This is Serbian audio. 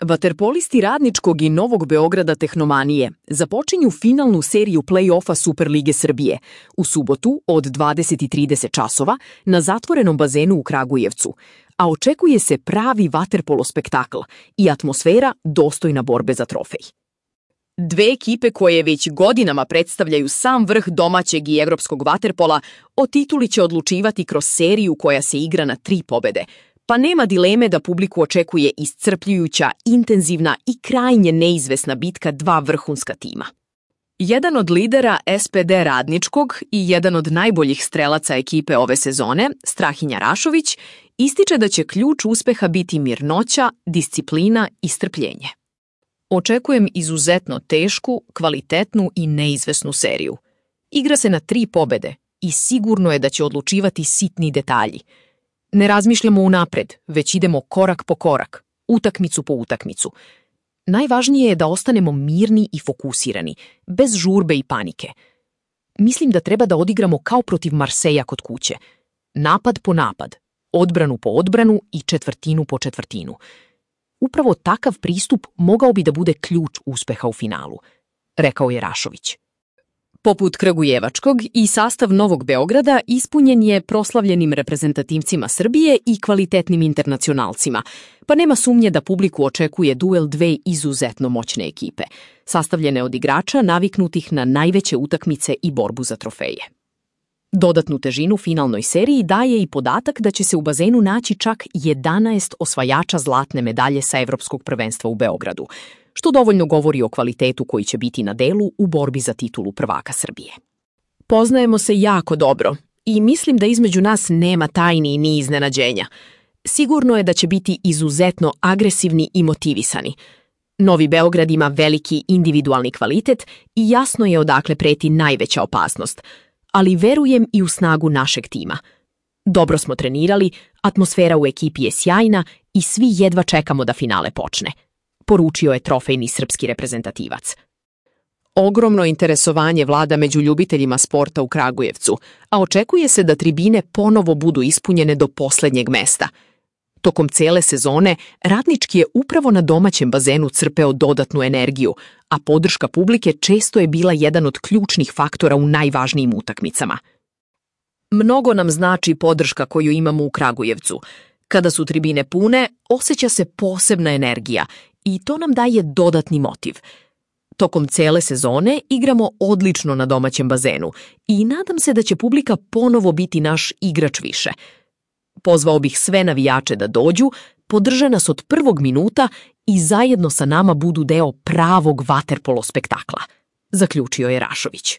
Vaterpolisti Radničkog i Novog Beograda Tehnomanije započinju finalnu seriju play-offa Superlige Srbije u subotu od 20:30 časova na zatvorenom bazenu u Kragujevcu, a očekuje se pravi vaterpolo spektakl i atmosfera dostojna borbe za trofej. Dve ekipe koje već godinama predstavljaju sam vrh domaćeg i evropskog vaterpola o tituli će odlučivati kroz seriju koja se igra na 3 pobede, pa nema dileme da publiku očekuje iscrpljujuća, intenzivna i krajnje neizvesna bitka 2 vrhunska tima. Jedan od lidera SPD Radničkog i jedan od najboljih strelaca ekipe ove sezone, Strahinja Rašović, ističe da će ključ uspeha biti mirnoća, disciplina i strpljenje. Očekujem izuzetno tešku, kvalitetnu i neizvesnu seriju. Igra se na 3 pobede i sigurno je da će odlučivati sitni detalji. Ne razmišljamo unapred, već idemo korak po korak, utakmicu po utakmicu. Najvažnije je da ostanemo mirni i fokusirani, bez žurbe i panike. Mislim da treba da odigramo kao protiv Marseja kod kuće. Napad po napad, odbranu po odbranu i četvrtinu po četvrtinu. Upravo takav pristup mogao bi da bude ključ uspeha u finalu, rekao je Rašović. Poput Kragujevačkog i sastav Novog Beograda ispunjen je proslavljenim reprezentativcima Srbije i kvalitetnim internacionalcima, pa nema sumnje da publiku očekuje duel 2 izuzetno moćne ekipe, sastavljene od igrača naviknutih na najveće utakmice i borbu za trofeje. Dodatnu težinu finalnoj seriji daje i podatak da će se u bazenu naći čak 11 osvajača zlatne medalje sa Evropskog prvenstva u Beogradu, što dovoljno govori o kvalitetu koji će biti na delu u borbi za titulu prvaka Srbije. Poznajemo se jako dobro i mislim da između nas nema tajni ni iznenađenja. Sigurno je da će biti izuzetno agresivni i motivisani. Novi Beograd ima veliki individualni kvalitet i jasno je odakle preti najveća opasnost, ali verujem i u snagu našeg tima. Dobro smo trenirali, atmosfera u ekipi je sjajna i svi jedva čekamo da finale počne, poručio je trofejni srpski reprezentativac. Ogromno interesovanje vlada među ljubiteljima sporta u Kragujevcu, a očekuje se da tribine ponovo budu ispunjene do poslednjeg mesta. Tokom cele sezone Radnički je upravo na domaćem bazenu crpeo dodatnu energiju, a podrška publike često je bila jedan od ključnih faktora u najvažnijim utakmicama. Mnogo nam znači podrška koju imamo u Kragujevcu. Kada su tribine pune, osjeća se posebna energija i to nam daje dodatni motiv. Tokom cele sezone igramo odlično na domaćem bazenu i nadam se da će publika ponovo biti naš igrač više. Pozvao bih sve navijače da dođu, podrže nas od prvog minuta i zajedno sa nama budu deo pravog vaterpolo spektakla, zaključio je Rašović.